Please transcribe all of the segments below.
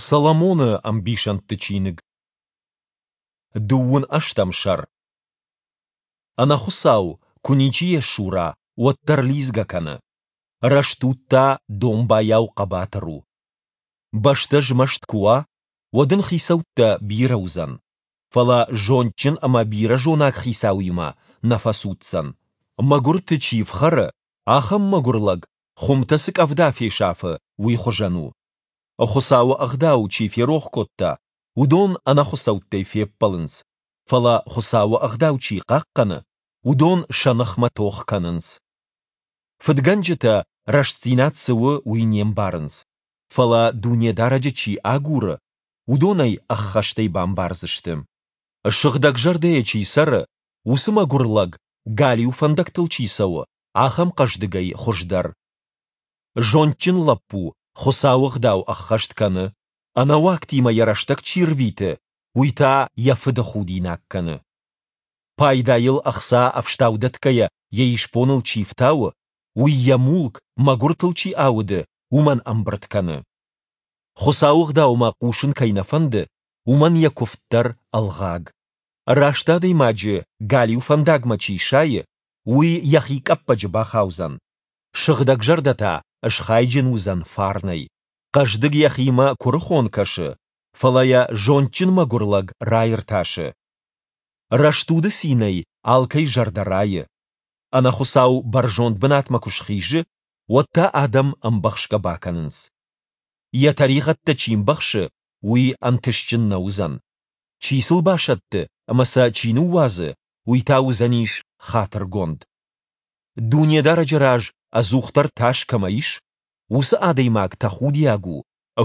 Соломоны ӕмбисӕндты чиныг. 18 сӕр. Ӕнӕхуыцау, куы ничи йӕ сура, уӕддӕр лидзгӕ кӕны. Рӕстуд та домбайау хъӕбатыр у. Бӕстӕ змӕст куы уа, уӕд ын хицӕуттӕ бирӕ уыдзӕн, фӕлӕ зондджын ӕмӕ бирӕзонаг хицауимӕ нӕ фӕцуддзӕн. Мӕгуырты чи фхӕры, ахӕм мӕгуыр лӕг, хуымтӕ цы къӕвда фесафы, уый хуызӕн у. Хуыцауы ӕгъдау чи ферох кодта, уыдон ӕнӕхуыцӕуттӕй феппӕлынц, фӕлӕ Хуыцауы ӕгъдау чи хъахъхъӕны, уыдон сӕ ныхмӕ тох кӕнынц. Фыдгӕнджытӕ, рӕстдзинад цы у, уый не мбарынц, фӕлӕ Дунедарӕджы чи агуры, уыдон ӕй ӕххӕстӕй бамбардзысты. Сыгъдӕгзӕрдӕйӕ чи цӕры, уыцы мӕгуыр лӕг, галиу фӕндӕгтыл чи цӕуы, ахӕм хъӕздыгӕй хуыздӕр. Зондджын лӕппу Хуыцауы ӕгъдау ӕххӕст кӕны, ӕнӕуагтимӕ йӕ рӕстӕг чи рвиты, уый та йӕ фыды худинаг кӕны. Пайдайыл ӕхца ӕфстау дӕтгӕйӕ йӕ исбоныл чи фтауы, уый йӕ мулк, мӕгуыртыл чи ауды, уымӕн ӕмбырд кӕны. Хуыцауы ӕгъдаумӕ хъусын кӕй нӕ фӕнды, уымӕн йӕ куывд дӕр ӕлгъаг. Раст адӕймаджы галиу фӕндагмӕ чи сайы, уый йӕхи къӕппӕджы бахаудзӕн. Сыгъдӕгзӕрдӕ та схайджын уыдзӕн фарнӕй. Хъӕздыг йӕхимӕ куырыхон кӕсы, фӕлӕ йӕ зондджын мӕгуыр лӕг раиртасы. Рӕстуды цинӕй алкӕй зӕрдӕ райы. Ӕнӕхуыцау бӕрзонд бынатмӕ куы схизы, уӕд та адӕм ӕмбӕхсгӕ бакӕнынц. Йӕ тӕригъӕдтӕ чи мбӕхсы, уый ӕнтыстджын нӕ уыдзӕн. Чи сыл басӕтты ӕмӕ сӕ чи ныууадзы, уый та уыдзӕнис хатыргонд. Дунедарӕджы раз ӕдзухдӕр тас кӕмӕ ис, уыцы адӕймаг тӕхудиаг у,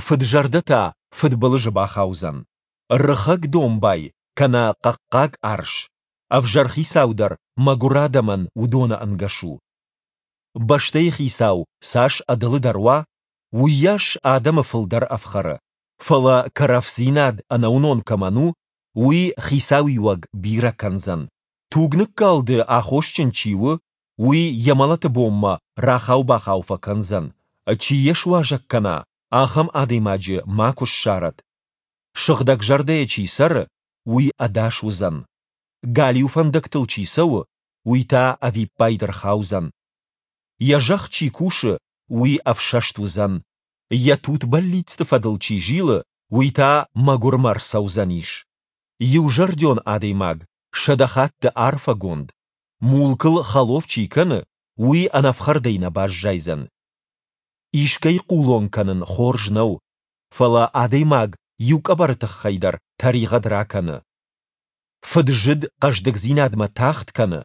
фыд-зӕрдӕ та фыдбылызы бахаудзӕн. Рыхӕг домбай кӕнӕ хъӕхъхъаг арс, ӕвзӕр хицау дӕр мӕгуыр адӕмӕн уыдоны ӕнгӕс у. Бӕстӕйы хицау цас ӕдылыдӕр уа, уыйас адӕмы фылдӕр ӕфхӕры, фӕлӕ кӕрӕфдзинад ӕнӕуынон кӕмӕн у, уый хицауиуӕг бирӕ кӕндзӕн. Тугныккалды аххосджын чи у, уый йӕ мӕлӕты бонмӕ рахау-бахау фӕкӕндзӕн. Чи йӕ суазӕг кӕна, ахӕм адӕймаджы макуы ссарӕд. Сыгъдӕгзӕрдӕйӕ чи цӕры, уый ӕдас уыдзӕн. Галиу фӕндӕгтыл чи цӕуы, уый та ӕвиппайды рхаудзӕн. Йӕ зӕхх чи кусы, уый ӕфсӕст уыдзӕн. Йӕ тут бӕллицты фӕдыл чи зилы, уый та мӕгуырмӕ рцӕудзӕнис. Иузӕрдион адӕймаг 100 хатты арфӕгонд, мулкыл хӕлоф чи кӕны, уый ӕнӕфхӕрдӕй нӕ баззайдзӕн. Искӕй хъулон кӕнын хорз нӕу, фӕлӕ адӕймаг иу къӕбӕры тыххӕй дӕр тӕригъӕд ракӕны. Фыд-зыд хъӕздыгдзинадмӕ тагъд кӕны,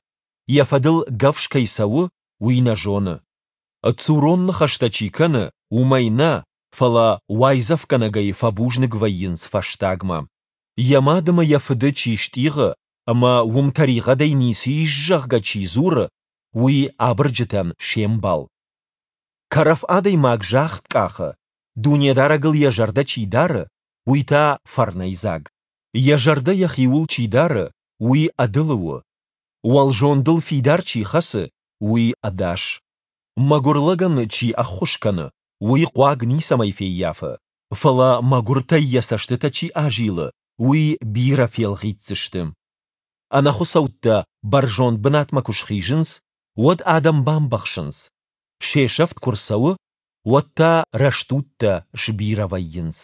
йӕ фӕдыл гӕвз кӕй цӕуы, уый нӕ зоны. Цурон ныхӕстӕ чи кӕны, уымӕй нӕ, фӕлӕ уайдзӕфгӕнӕгӕй фӕбузныг вӕййынц фӕстагмӕ. Йӕ мад ӕмӕ йӕ фыды чи стъигъы ӕмӕ уым тӕригъӕдӕй ницы ис, зӕгъгӕ, чи дзуры, уый абырджытӕн се мбал. Кӕрӕф адӕймаг загъд къахы, Дунедарӕгыл йӕ зӕрдӕ чи дары, уый та фӕрнӕйдзаг. Йӕ зӕрдӕ йӕхиуыл чи дары, уый ӕдылы у. Уӕлзондыл фидар чи хӕцы, уый ӕдас. Мӕгуыр лӕгӕн чи ӕххуыс кӕны, уый хъуаг ницӕмӕй феййафы, фӕлӕ мӕгуыртӕй йӕ цӕстытӕ чи азилы, уый бирӕ фелгъитдзысты. Ӕнӕхуыцӕуттӕ бӕрзонд бынатмӕ куы схизынц, уӕд адӕм бамбӕхсынц. Се сӕфт куы рцӕуы, уӕд та рӕстудтӕ сбирӕ вӕййынц.